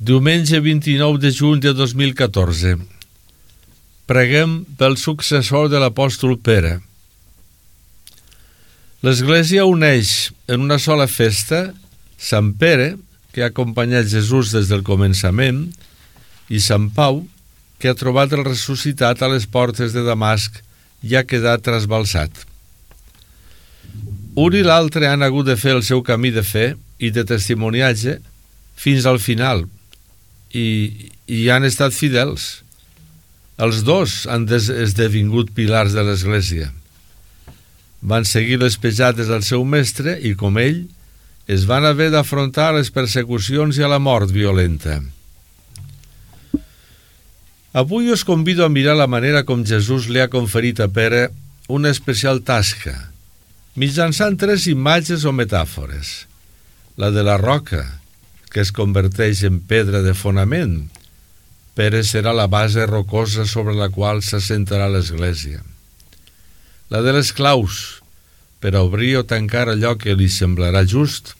Diumenge 29 de juny de 2014. Preguem pel successor de l'apòstol Pere. L'Església uneix en una sola festa Sant Pere, que ha acompanyat Jesús des del començament, i Sant Pau, que ha trobat el ressuscitat a les portes de Damasc i ha quedat trasbalsat. Un i l'altre han hagut de fer el seu camí de fe i de testimoniatge fins al final, i han estat fidels. Els dos han esdevingut pilars de l'Església. Van seguir les pejades del seu mestre i, com ell, es van haver d'afrontar les persecucions i a la mort violenta. Avui us convido a mirar la manera com Jesús li ha conferit a Pere una especial tasca, mitjançant 3 imatges o metàfores. La de la roca, que es converteix en pedra de fonament. Pere serà la base rocosa sobre la qual s'assentarà l'Església. La de les claus, per a obrir o tancar allò que li semblarà just.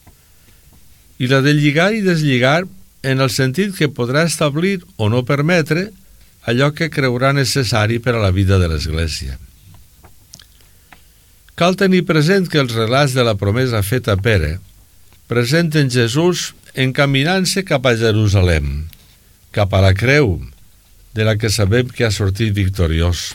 I la de lligar i deslligar en el sentit que podrà establir o no permetre allò que creurà necessari per a la vida de l'Església. Cal tenir present que els relats de la promesa feta a Pere presenten Jesús encaminant-se cap a Jerusalem, cap a la creu, de la que sabem que ha sortit victoriós.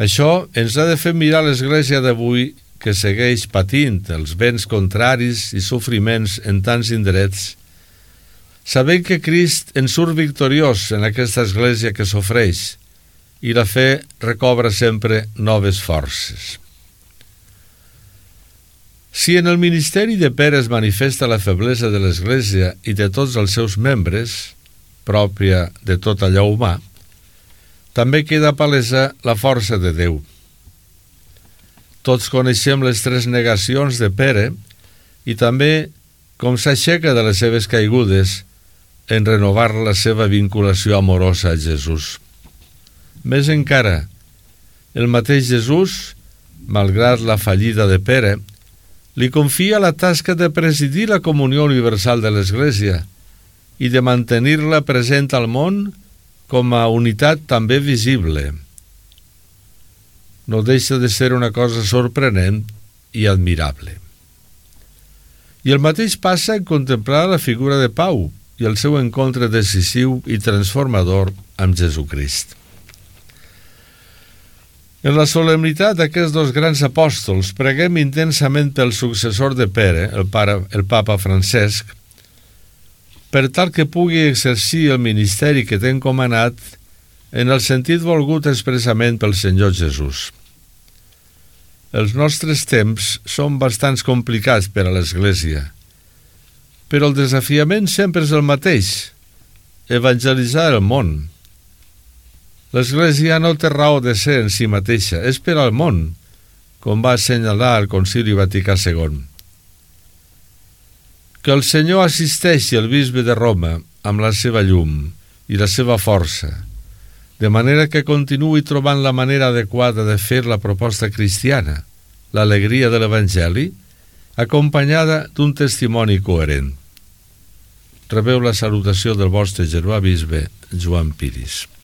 Això ens ha de fer mirar l'Església d'avui, que segueix patint els vents contraris i sofriments en tants indrets, sabent que Crist en surt victoriós en aquesta Església que s'ofreix, i la fe recobra sempre noves forces. Si en el ministeri de Pere es manifesta la feblesa de l'Església i de tots els seus membres, pròpia de tot allò humà, també queda palesa la força de Déu. Tots coneixem les 3 negacions de Pere i també com s'aixeca de les seves caigudes en renovar la seva vinculació amorosa a Jesús. Més encara, el mateix Jesús, malgrat la fallida de Pere, li confia la tasca de presidir la comunió universal de l'Església i de mantenir-la present al món com a unitat també visible. No deixa de ser una cosa sorprenent i admirable. I el mateix passa en contemplar la figura de Pau i el seu encontre decisiu i transformador amb Jesucrist. En la solemnitat d'aquests 2 grans apòstols, preguem intensament pel successor de Pere, el papa Francesc, per tal que pugui exercir el ministeri que té encomanat en el sentit volgut expressament pel Senyor Jesús. Els nostres temps són bastant complicats per a l'Església, però el desafiament sempre és el mateix: evangelitzar el món. L'Església no té raó de ser en si mateixa, és per al món, com va assenyalar el Concili Vaticà II. Que el Senyor assisteixi el bisbe de Roma amb la seva llum i la seva força, de manera que continuï trobant la manera adequada de fer la proposta cristiana, l'alegria de l'Evangeli, acompanyada d'un testimoni coherent. Rebeu la salutació del vostre germà bisbe Joan Piris.